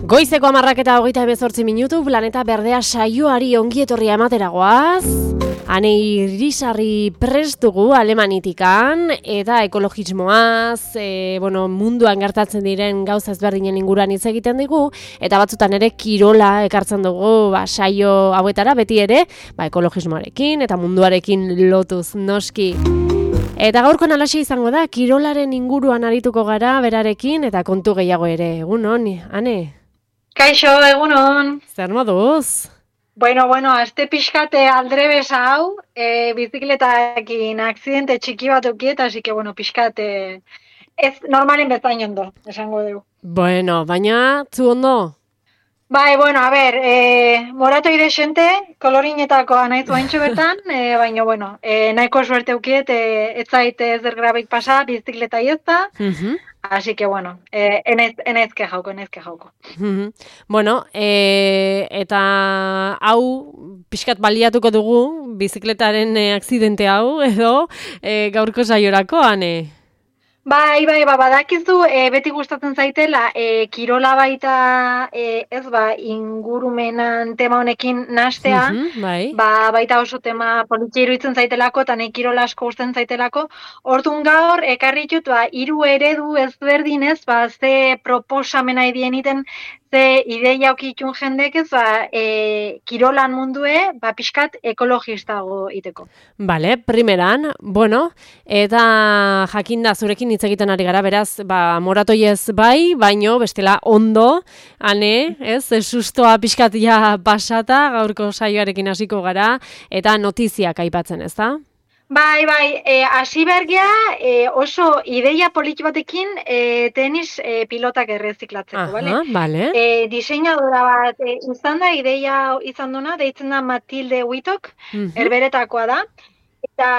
Goizeko 10:28 Planeta Berdea saioari ongi etorria emateragoaz. Ane irisarri prest dugu Alemanitikan eta ekologismoaz, munduan gertatzen diren gauza ezberdinen inguruan hitz egiten digu eta batzutan ere kirola ekartzen dugu saio hauetara beti ere, ekologismoarekin eta munduarekin lotuz noski. Eta gaurkoan alaxe izango da, kirolaren inguruan arituko gara berarekin eta kontu gehiago ere. Egunon, Ane? Kaixo, egunon. Zer moduz? Bueno, aste pixkate aldrebes hau, bizikletakin akzidente txiki bat ukiet, así que, pixkate ez normalen bezain ondo, esango dugu. Bueno, baina, zu ondo? Bai, a ber, morato idexente, kolorinetakoa nahi zuaintxo bertan, baina, nahiko suerte ukiet, ez zaite ez grabik pasa, bizikleta iezta, así que, enezke jauko. Bueno, eta hau pixkat baliatuko dugu, bizikletaren akzidente hau, edo gaurko saiorako, Ane? Bai, badakizu, beti gustatzen zaitela, kirola baita, ingurumenan tema honekin nastea, baita oso tema politia iruditzen zaitelako, eta nahi kirola asko gustatzen zaitelako. Orduan gaur, ekarri ditut, 3 eredu ezberdinez, ze proposamena idien iten, ze ideia okitun jendek ez, kirolan mundue, pixkat ekologistago iteko. Bale, primeran, eta jakinda zurekin hitz egiten ari gara, beraz, moratoiez bai, baino, bestela ondo, Ane, sustoa pixkat ja pasata, gaurko saioarekin hasiko gara, eta notiziak aipatzen, ez da? Bai, hasi bergea oso ideia politi batekin tenis pilotak erreziklatzeko, bale? Bale. Diseinadora bat izan da, ideia izan duna, deitzen da Matilde Wittok, herberetakoa da. Eta,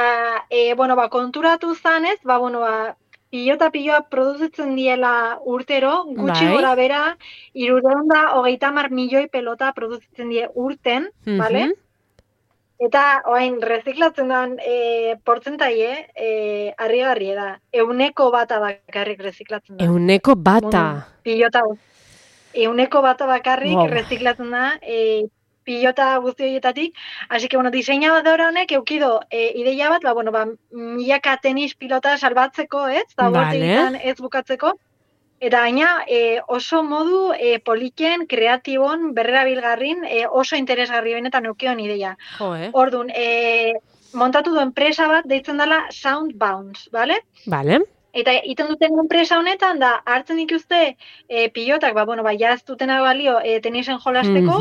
konturatu zanez, piloa produzitzen diela urtero, gutxi gora bera, 330 milioi pelota produzitzen die urten, bale? Eta, reziklatzen den portzentaie, harrigarria da. 100 bakarrik reziklatzen da. 100 bata? Pilota. 100 bakarrik reziklatzen da, pilota guzti horietatik. Así que, diseinadora honek eukido ideia bat, milaka tenis pilota salbatzeko, ez? Ez bukatzeko. Eta gaina oso modu poliken, kreatibon, berrerabilgarrin, oso interesgarri benetan eukion ideia. Orduan, montatu du enpresa bat deitzen dela Soundbounce, bale? Bale. Eta iten duten enpresa honetan da, hartzen dituzte pilotak, jaz dutena balio tenisen jolasteko,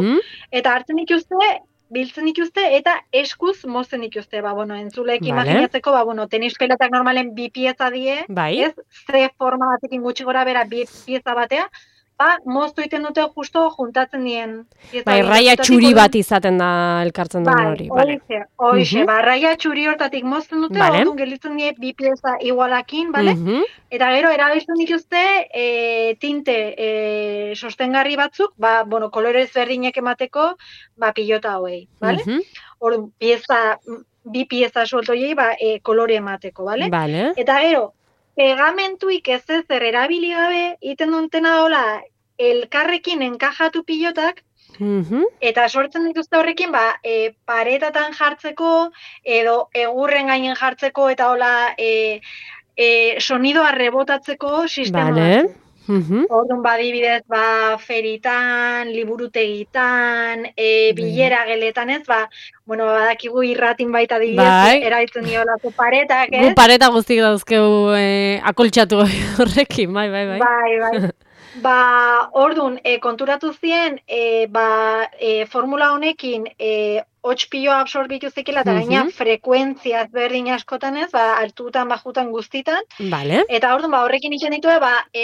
eta hartzen dituzte, biltzen dituzte, eta eskuz mozten dituzte, entzulek imaginatzeko, tenis pelotak normalen 2 pieza die, ez? Z forma batekin gutxi gora bera 2 pieza batea, moztu iten dute justo juntatzen dien. Raia txuri bat izaten da elkartzen duen hori. Hoize, raia txuri hortatik mozten dute, orduan gelitzen die 2 pieza igualakin, bale? Eta gero, erabiltzen dituzte tinte sostengarri batzuk, kolore ezberdinek emateko, pilota hauei, bale? Orduan, 2 pieza suelto hiei, kolore emateko, bale? Eta gero, pegamentuik ez ezer erabili gabe, iten duntena dola, elkarrekin enkajatu pilotak, eta sortzen dituzte horrekin, paretatan jartzeko, edo egurren gainen jartzeko, eta hola, sonidoa rebotatzeko sistema. Orduan, adibidez, feritan, liburutegitan, bilera geletan ez, badakigu irratin baita adibidez, eraitzen diolako paretak, ez? Gu pareta guztik dauzkegu akoltxatu horrekin, bai. Orduan, konturatu zien, formula honekin, hots piloa absorbitu zekela, eta gaina frekuentzia berdin askotan ez, altutan, bajutan guztitan. Eta orduan, horrekin ikan ditu,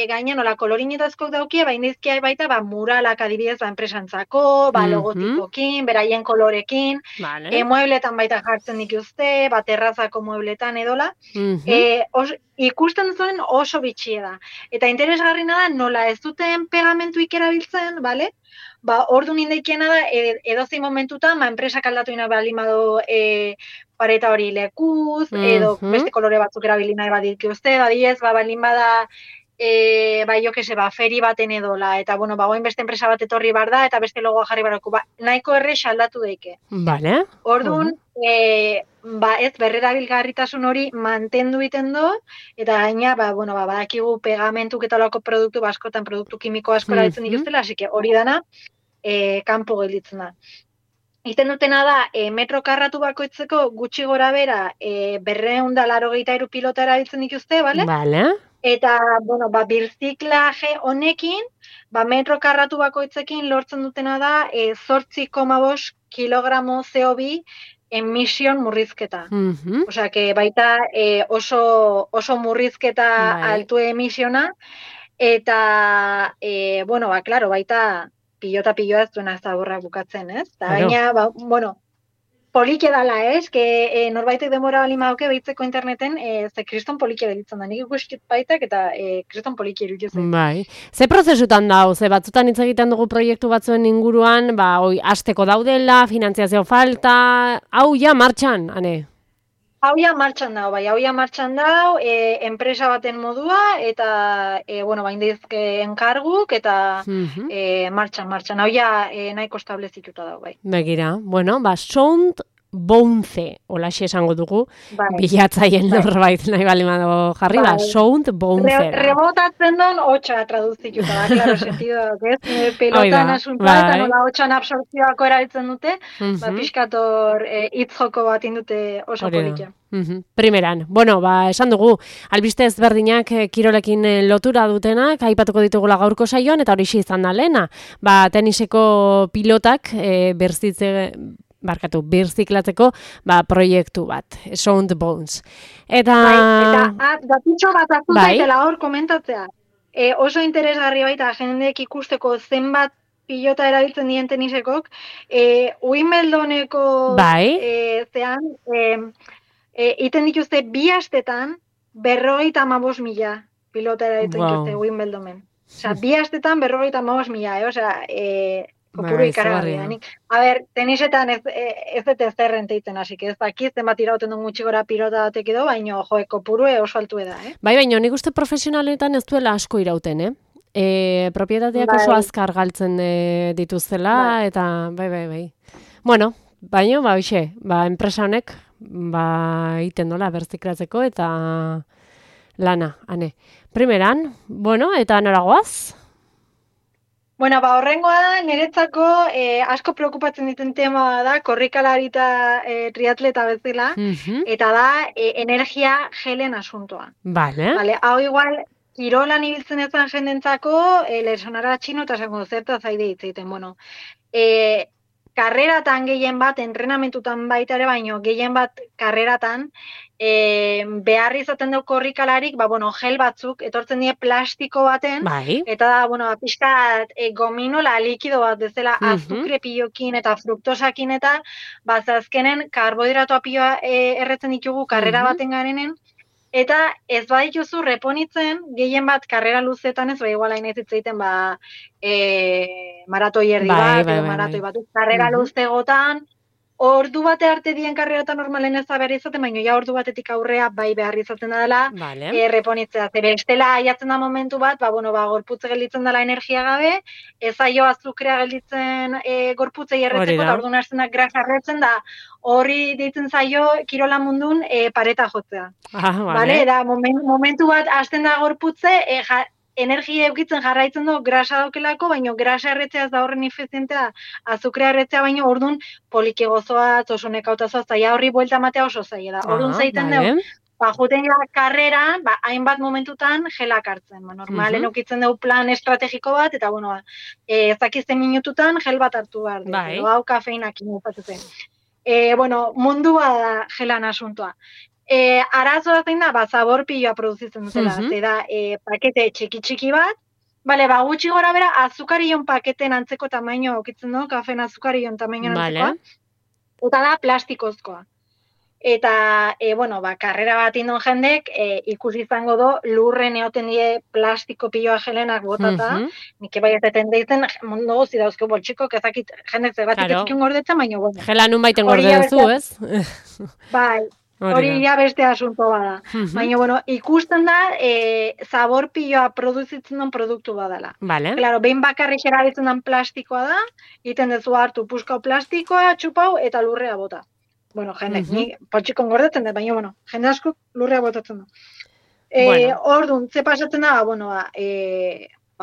gaina nola kolorinetazkok daukie, indizkia baita, muralak adibidez enpresantzako, logotipokin, beraien kolorekin, muebletan baita jartzen dituzte, terrazako muebletan edola. Ikusten zuen oso bitxia da. Eta interesgarrina da, nola ez duten pegamentuik erabiltzen, bale? Orduan indaikiena da, edozein momentutan, enpresak aldatu ina balimado pareta hori lekuz, edo beste kolore batzuk erabilina baditki uste, badiez, balin bada bai, jo kese, feri baten edola, eta, bueno, goin beste enpresa bat etorri bar da, eta beste logoa jarri barako, nahiko erre aldatu daike. Vale. Orduan, ez berrerabilgarritasun hori mantendu iten do, eta gaina, badakigu pegamentuk eta olako produktu askotan, produktu kimiko asko erabiltzen dituztela, así que hori dana, kanpo gelditzen da. Iten dutena da, metro karratu bakoitzeko gutxi gora bera, 283 pilota erabiltzen dituzte, bale? Vale. Eta, birziklaje honekin, metro karratu bakoitzekin lortzen dutena da 8,5 kilogramo CO2 emision murrizketa. Osea, que baita oso murrizketa altu emisiona, eta, klaro, baita pilota ez duena ez da borrak bukatzen, ez? Eta gaina, polike dala, ez? Que norbaitek denbora bali maoke behitzeko interneten, ze kriston polike belitzen da. Nik ikuskit baitak eta kriston polike iruditzen. Bai. Ze prozesutan da, ze batzutan hitz egiten dugu proiektu batzuen inguruan, hasteko daudela, finantziazio falta, hau ja martxan, ane? Hau ja martxan dau, enpresa baten modua, eta, indizke enkarguk, eta martxan. Hau ja nahiko establezituta dau, bai. Begira, Sound Bounce, holaxe esango dugu, bilatzaien norbait nahi balimado jarri, Sound Bounce. Rebotatzen don, hotxa traduzituta da, klaro, sentido, pelotan asuntua, eta nola hotxan absortzioako erabiltzen dute, pixkator hitzjoko bat indute oso polikia. Primeran, esan dugu, albiste ezberdinak kirolekin lotura dutenak, aipatuko ditugula gaurko saioan, eta hori izan da lehena. Teniseko pilotak birziklatzeko proiektu bat, Sound Bounce. Eta datutxo bat azutaitela hor komentatzea. Oso interesgarri baita jendeek ikusteko zenbat pilota erabiltzen dien tenisekok, Wimbledoneko zean, iten dituzte 2 astetan 55.000 pilota erabiltzen dituzte Wimbledonen. Osea, 2 astetan 55.000, osea, kopuru ikaragarria. A ber, tenisetan ez dut ezerren teiten, así que ez dakiz, zenbat irauten duen gutxi gora pilota batek edo, baina kopuru oso altu da, baina nik uste profesionaletan ez duela asko irauten, propietateak oso azkar galtzen dituztela, eta bai. Bueno, baina, enpresa honek, iten dola berziklatzeko, eta lana, ane. Primeran, eta noragoaz? Horrengoa da, niretzako asko preokupatzen diten tema da, korrikalari eta triatleta bezala, eta da energia gelen asuntoa. Vale. Hau igual, kirolan ibiltzen ezan jendentzako, lesonara txino eta zango zerta zaide hitzeiten. Karreratan gehien bat, entrenamentutan baita ere, baino gehien bat karreratan, behar izaten dut korrikalarik, gel batzuk, etortzen die plastiko baten, eta da, pixkat gominola likido bat, bezala azukre pilokin eta fruktosakin eta, azkenen karbohidratoa piloa erretzen ditugu karrera baten garenen, eta ez badituzu reponitzen, gehien bat karrera luzetan ez, igual hain ez itzaiten, maratoi erdi bat, edo maratoi bat, karrera luzegotan, ordu bate arte dien karreratan normalen ez da behar izaten, baina ja ordu batetik aurrea behar izaten da dela, reponitzea. Zer estela aiatzen da momentu bat, gorputze gelditzen dela energia gabe, ez aio azukrea gelditzen gorputzei erretzeko, eta ordu narzenak grasa erretzen da, horri ditzen zaio kirola mundun pareta jotzea. Da, momentu bat hasten da gorputze, energia eukitzen jarraitzen du grasa daukelako, baina grasa erretzea ez da horren efizientea, azukrea erretzea baina orduan poliki gozoa, oso nekautazoa, zaila horri buelta matea oso zaila da. Orduan zaiten dugu, juten karreran, hainbat momentutan gelak hartzen. Normalen eukitzen dugu plan estrategiko bat, eta ezakizten minututan gel bat hartu behar dugu. Hau kafeinak inozatzen. Mundua da gelan asuntoa. Arazoa zein da, zabor piloa produzitzen dutela, da pakete txiki bat, gutxi gora bera, azukarion paketen antzeko tamaino okitzen du, kafen azukarion tamaino antzekoa, eta da plastikozkoa. Eta, karrera bat indon jendek, ikusi izango do, lurren eoten die plastiko piloa gelenak botata, nik bai ezeten deitzen, mundu gozi dauzko boltxiko, kezakit jendek zebatik etzikin gordetzen, baina, Gela nun baiten gordezu, ez? Bai. Hori ja beste asunto bada. Baina, bueno, ikusten da, zabor piloa produzitzen den produktu badala. Claro, behin bakarrik erabiltzen den plastikoa da, egiten dezu hartu puskau plastikoa, txupau, eta lurrea bota. Bueno, jendek, ni potxikon gordetzen dut, baina, bueno, jende asko lurrea botatzen da. Orduan, ze pasatzen da, bueno,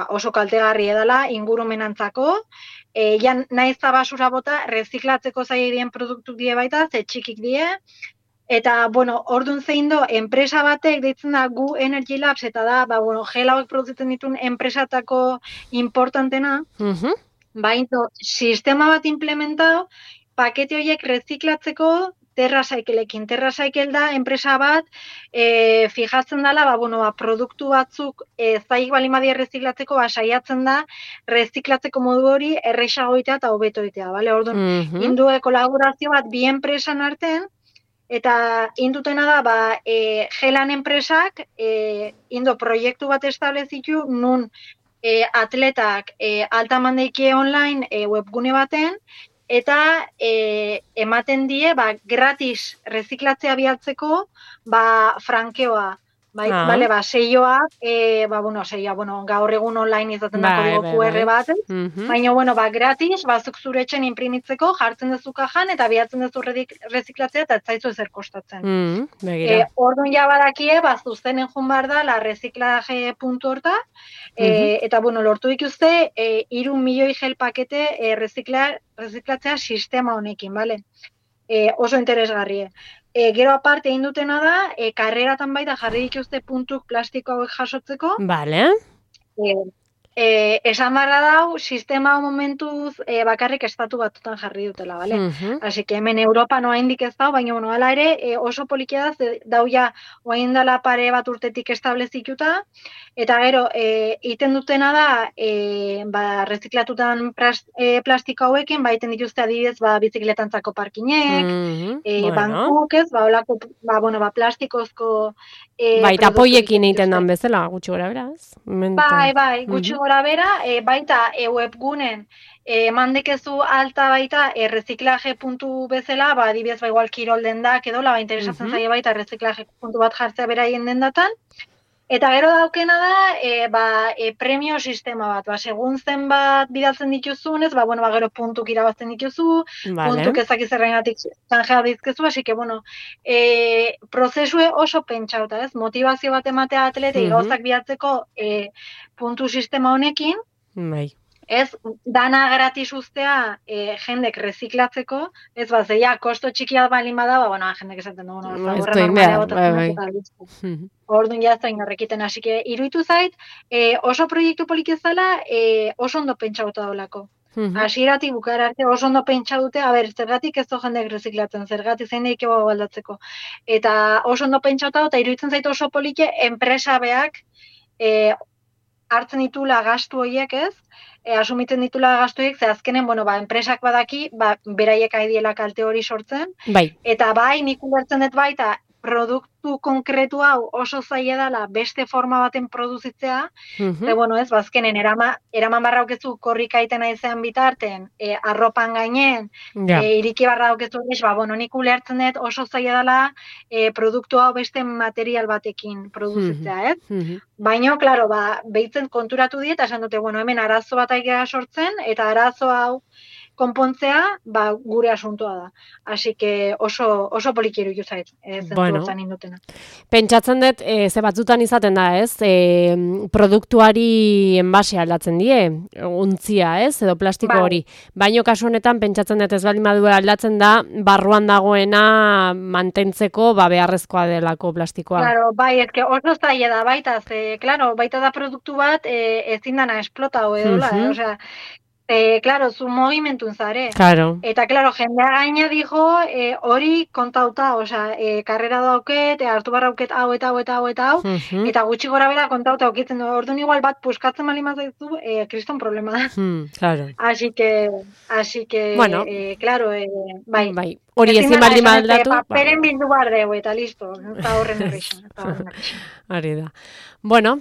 oso kaltegarri edala, ingurumenantzako, naiz da basura bota, reziklatzeko zairien produktu die baita, ze txikik die, eta, bueno, orduan zein do, enpresa batek deitzen da Gu Energy Labs, eta da, bueno, gel hauek produzitzen dituen enpresatako importantena, baina, sistema bat implementado, pakete horiek reziklatzeko TerraCycleekin. TerraCycle da, enpresa bat, fijatzen dela, produktu batzuk zaik balimadia reziklatzeko, saiatzen da, reziklatzeko modu hori errexagoitea eta hobetoitea, bale? Orduan, indue kolaborazio bat bi enpresan artean, eta indutena da, gelan enpresak, indo proiektu bat establezitu, nun atletak altamandeike online webgune baten, eta ematen die, gratis reziklatzea bialtzeko, frankeoa. Bale, seioa, gaur egun online izaten da kodigo QR bat, baina, gratis, zuk zure etxen imprimitzeko, jartzen duzu kajan, eta bihatzen duzu reziklatzea, eta ez zaizu ezer kostatzen. Orduan ja badakie, zuzenen joan behar da, la reziklaje puntu horta, eta, lortu dituzte, 3 milioi gel pakete reziklatzea sistema honekin, bale? Oso interesgarrie. Gero aparte egin dutena da, karreratan baita jarri dituzte puntuk plastiko hauek jasotzeko. Bale. Esan barra dau, sistema momentuz bakarrik estatu batutan jarri dutela, bale? Así que hemen Europa noa indik ez dau, baina hala ere oso polikia da, dau ja oain dela pare bat urtetik establezituta, eta gero, iten dutena da, reziklatutan plastiko hauekin, iten dituzte adibidez, bizikletantzako parkinek, bankuk ez, olako, plastikozko eta poiekin egiten dan bezala, gutxi gora beraz. Bai, gutxi gora bera, baita webgunen mandekezu alta baita reziklaje puntu bezala, adibidez igual kirol dendak edo, interesatzen zaie baita reziklaje puntu bat jartzea beraien dendatan. Eta gero daukena da, premio sistema bat, segun zenbat bidaltzen dituzunez, gero puntuk irabazten dituzu, puntuk ezakizerrengatik zanjea dizkezu, así que, prozesue oso pentsauta, ez? Motivazio bat ematea atletei gauzak bilatzeko puntu sistema honekin, ez, dana gratis ustea jendek reziklatzeko, ez zeia, kosto txikia balin bada, jendek esaten du, orduan jaztain horrekiten, hasi que iruditu zait, oso proiektu polik ezala, oso ondo pentsauta dolako. Hasieratik bukara arte oso ondo pentsa dute, zergatik ez jendek reziklatzen, zergatik zein daik ego aldatzeko. Eta oso ondo pentsauta eta iruditzen zait oso polike enpresa beak hartzen ditula gastu horiek ez, asumitzen ditula gastu horiek, ze azkenen, enpresak badaki, beraiek aidiela kalte hori sortzen, eta nik ulertzen dut baita, produktu konkretu hau oso zaila dela beste forma baten produzitzea, ez, azkenen eraman barra aukezu korrika aiten aizean bitarten, arropan gainen, iriki barra aukezu, nik ulertzen dut oso zaila dela produktu hau beste material batekin produzitzea, ez? Baina, klaro, behitzen konturatu diet, esan dute, hemen arazo bat aikera sortzen, eta arazo hau konpontzea, gure asuntoa da. Así que oso polikiru juzait, zentuotan indutena. Pentsatzen dut, ze batzutan izaten da, ez? Produktuari enbase aldatzen die, untzia, ez? Edo plastiko hori. Baino kasu honetan, pentsatzen dut ez baldin badu aldatzen da, barruan dagoena mantentzeko, beharrezkoa delako plastikoa. Claro, eske oso zaila da baita, baita da produktu bat, ezin dana esplotau edola, osea, claro, zu movimentun zare. Claro. Eta, claro, jendea gaina dijo, hori kontauta, osea, karrera dauket, hartu barrauket hau eta hau eta hau eta hau, eta gutxi gora bera kontauta aukitzen du. Orduan igual bat puskatzen bali mazaizu, kriston problema da. Claro. Así que, bueno, claro, bai. Hori ezin baldin aldatu. Paperen bildu bar dugu, eta listo. Eta horren errexan. Hori da. Bueno,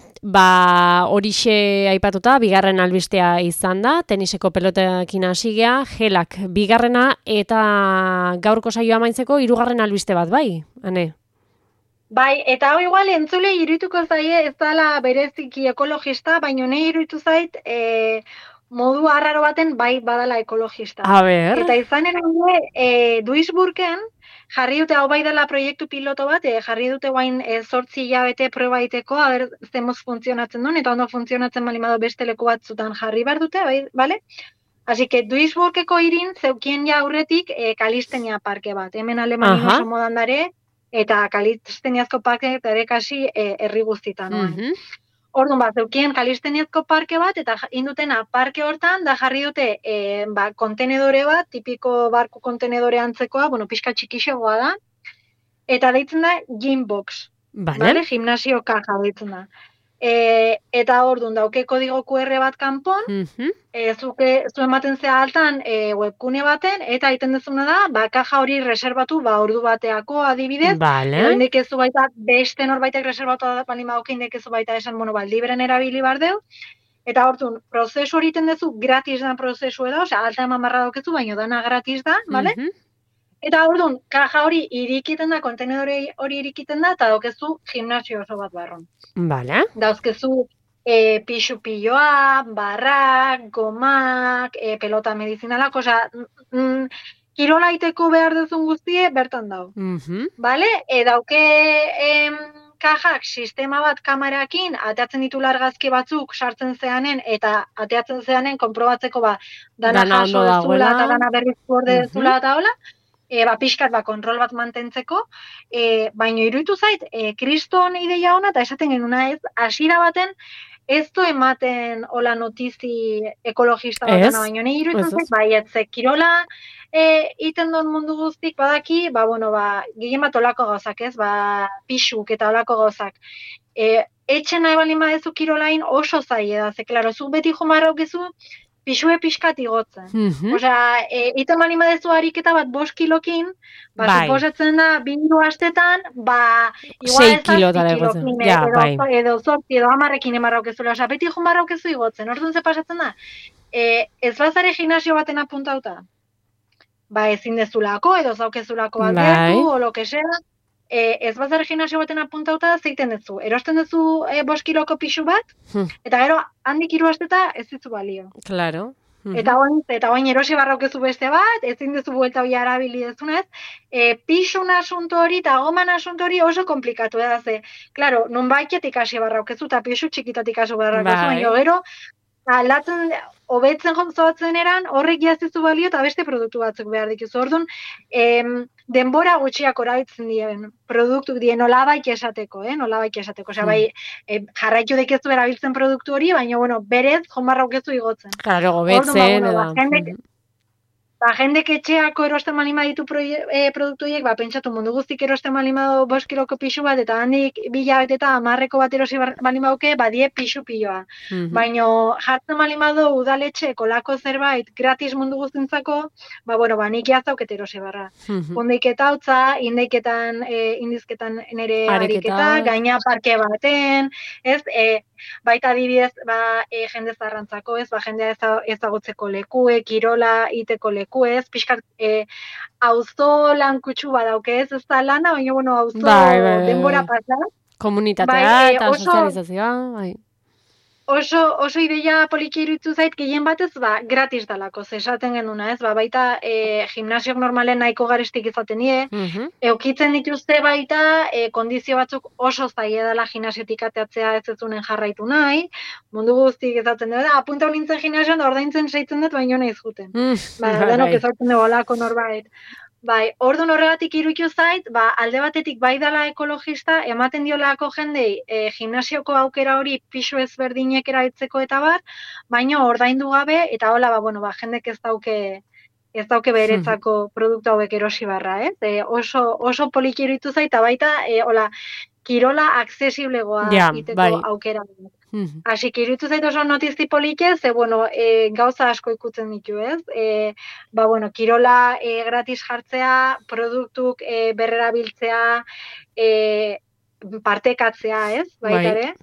horixe aipatuta, bigarren albistea izan da, tenis teniseko pelotekin hasi gea, gelak bigarrena eta gaurko saioa amaitzeko 3. albiste bat, bai, Ane? Bai, eta hau igual entzule irudituko zaie ez dela bereziki ekologista, baina nahi iruditu zait modu arraro baten bai badala ekologista. A ber. Eta izan Duisburgen jarri dute hau bai dela proiektu piloto bat, jarri dute guain 8 hilabete proba egiteko, aber zemoz funtzionatzen duen, eta ondo funtzionatzen bali badu beste leku batzutan jarri behar dute, bai, bale? Así que Duisburgeko irin zeukien ja aurretik kalistenia parke bat. Hemen Alemanin oso modan dare, eta kalisteniazko parke ere kasi herri guztitan. Orduan zeukien kalisteniazko parke bat, eta indutena parke hortan, da jarri dute kontenedore bat, tipiko barku kontenedore antzekoa, pixka txikixegoa da, eta deitzen da Gymbox. Vale? Gimnasio kaja deitzen da. Eta orduan dauke kodigo QR bat kanpon, zu ematen zea altan webgune baten, eta egiten dezuna da, kaja hori reserbatu ordu bateako adibidez, indekezu baita beste norbaitek reserbatu bali magoke indekezu baita esan, libren erabili bardeu, eta orduan prozesu hori egiten dezu gratis da prozesu edo, alta eman barra daukezu, baina dana gratis da, bale? Eta orduan, kaja hori irikiten da, kontenedore hori irikiten da, eta daukezu gimnasio oso bat barron. Vale. Dauzkezu pixu-pilloa, barrak, gomak, pelota medizinalak, kirolaiteko behar duzun guztie, bertan dau. Vale? Dauke kajak sistema bat kamerakin, ateatzen ditu largazki batzuk sartzen zeanen, eta ateatzen zeanen konprobatzeko dana jaso dezula, eta dana berrizko orde dezula, eta hola, pixkat kontrol bat mantentzeko, baina iruditu zait, kriston ideia ona, eta esaten genuna ez, hasiera baten, ez du ematen hola notizi ekologista bat, baina nahi iruditu zait, baietze, kirola iten duen mundu guztik badaki, gehien bat olako gauzak ez, pixuk eta olako gauzak. Etxen nahi balin badezu kirolain oso zaie da, ze, klaro, zu beti jomarra aukezu, pixue pixkat igotzen. Iten bali madezu ariketa bat 5 kilokin, suposatzen da, 2 astetan, igual 6 kilotara igotzen. Edo 8, edo 10 emarra aukezula, beti jomarra aukezu igotzen. Orduan ze pasatzen da, ez bazare gimnasio baten apuntauta, ezin dezulako, edo zaukezulako bat gertu, o lo que sea, ez bazare gimnasio baten apuntauta, zeiten dezu. Erosten dezu 5 kiloko pixu bat, eta gero handik 3 asteta ez dizu balio. Claro. Eta oain erosi barraukezu beste bat, ezin dezu buelta hori arabili dezunez, pixun asunto hori eta goman asunto hori oso komplikatu da ze. Claro, non baiketik hasi barraukezu eta pixu txikitatik hasi barraukezu, baina gero, aldatzen, hobetzen zoatzen eran, horrek jazizu balio eta beste produktu batzuk behar dituzu. Orduan, denbora gutxiak orabitzen dien produktu dien nolabait esateko, Osea, jarraitu dekezu erabiltzen produktu hori, baina, berez, jonbarra aukezu igotzen. Claro, gobetzen, jendek etxeako erosten malima ditu produktu horiek, pentsatu mundu guztik erosten malima 5 kiloko pixu bat, eta handik 2 hilabete eta 10 bat erosi malima duke, die pixu-pilloa. Baina jartzen malima du udaletxe kolako zerbait gratis mundu guztintzako, nik jazauket erosi barra. Ondeiketa hautza, indizketan nere ariketa, gaina parke baten, ez, baita adibidez, jende zarrantzako, ez, jendea ezagutzeko lekue, kirola iteko leku, ez, pixkat, auzo lankutsu badauke, ez da lana, baina, auzo denbora pasa. Komunitatea eta sozializazioa, Oso ideia poliki iruditu zait, gehien batez, gratis dalako, esaten genuna, ez, baita gimnasiok normalen nahiko garestik izaten die, eukitzen dituzte baita, kondizio batzuk oso zaila dela gimnasiotik ateatzea ez ezunen jarraitu nahi, mundu guztik izaten dut, apunta nintzen gimnasioan da ordaintzen seitzen dut, baina nahi zuten. Denok izaten dugu olako norbait. Orduan horregatik iruditu zait, alde batetik bai dela ekologista, ematen diolako jendei gimnasioko aukera hori pixu ezberdinek erabiltzeko eta baina ordaindu gabe, eta hola, jendek ez dauke beretzako produktu hauek erosi barra, ez? Oso poliki iruditu zait, eta baita, kirola aksesiblegoa iteko aukera. Así que iruditu zait oso notizi polike, ze, gauza asko ikutzen ditu, ez? Kirola gratis jartzea, produktuk berrerabiltzea, partekatzea, ez? Baita ere.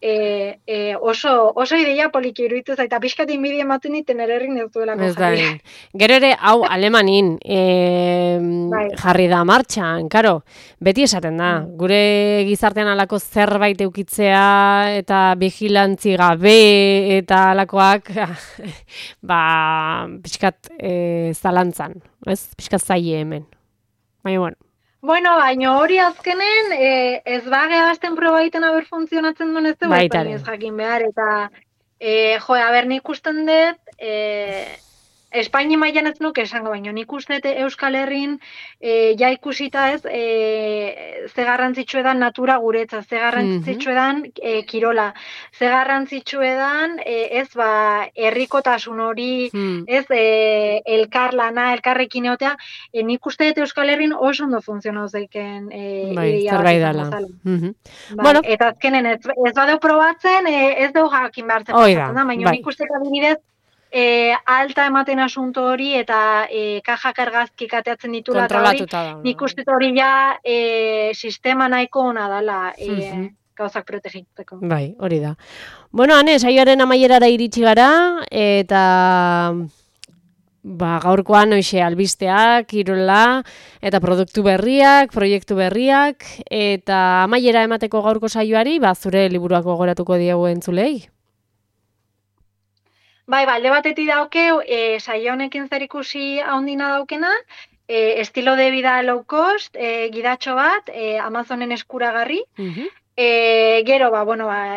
oso ideia poliki iruditu zaita, pixkat inbidia ematen niten ererrin ez duelako jarri. Gero ere, hau, alemanin jarri da martxan, karo, beti esaten da, gure gizartean alako zerbait eukitzea eta vigilantzi gabe eta alakoak, pixkat zalantzan, pixkat zaie hemen. Baina, Bueno, baina hori azkenen, ez bagea azten proba egiten aber funtzionatzen duen ez dugu ez jakin behar, eta nik usten dut, Espainia mailan ez nuke esango, baina nik uste Euskal Herrin ja ikusita ez, ze garrantzitsu edan natura guretzat, ze garrantzitsu edan kirola, ze garrantzitsu edan ez herrikotasun hori, ez elkarlana, elkarrekin egotea, nik uste Euskal Herrin oso ondo funtzionau zeiken zerbait dela. Eta azkenen ez badeu probatzen, ez dugu jakin behartzen pasatzen da, baina nik uste adibidez, alta ematen asunto hori eta kajak argazkik ateatzen ditula eta hori, nik uste hori ja sistema nahiko ona dela gauzak protegitzeko. Bai, hori da. Bueno, Ane, saioaren amaierara iritsi gara eta gaurkoan hoxe albisteak, kirola eta produktu berriak, proiektu berriak eta amaiera emateko gaurko saioari, zure liburuak gogoratuko diegu entzulei. Bai, alde batetik daukeu, saio honekin zerikusi handina daukena, estilo de vida low cost, gidatxo bat, Amazonen eskuragarri. Gero,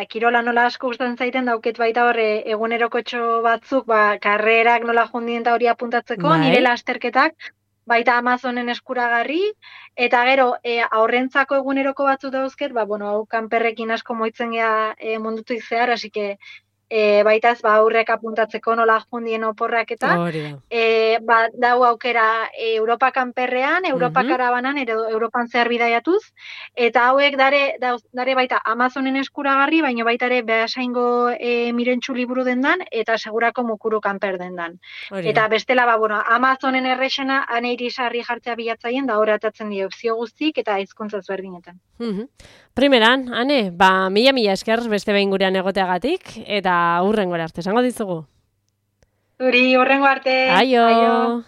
kirola nola asko gustatzen zaiten dauket baita hor egunerokotxo batzuk, karrerak nola jundien eta hori apuntatzeko, nire lasterketak, baita Amazonen eskuragarri, eta gero, aurrentzako eguneroko batzuk dauzket, hau kanperrekin asko moitzen gea mundutik zehar, hasi que baita ez aurrek apuntatzeko nola jundien oporrak eta dau aukera Europa kanperrean, Europa karabanan, Europan zehar bidaiatuz, eta hauek dare baita Amazonen eskuragarri, baina baita ere behasaingo mirentxu liburu dendan, eta segurako mukuru kanper dendan. Eta bestela, Amazonen errexena ane irisarri jartzea bilatzaien, da horretatzen dio opzio guztik eta hizkuntza ezberdinetan. Primeran, Ane, mila esker beste behin gurean egoteagatik, eta hurrengora arte, esango dizugu. Zuri, hurrengo arte. Aio!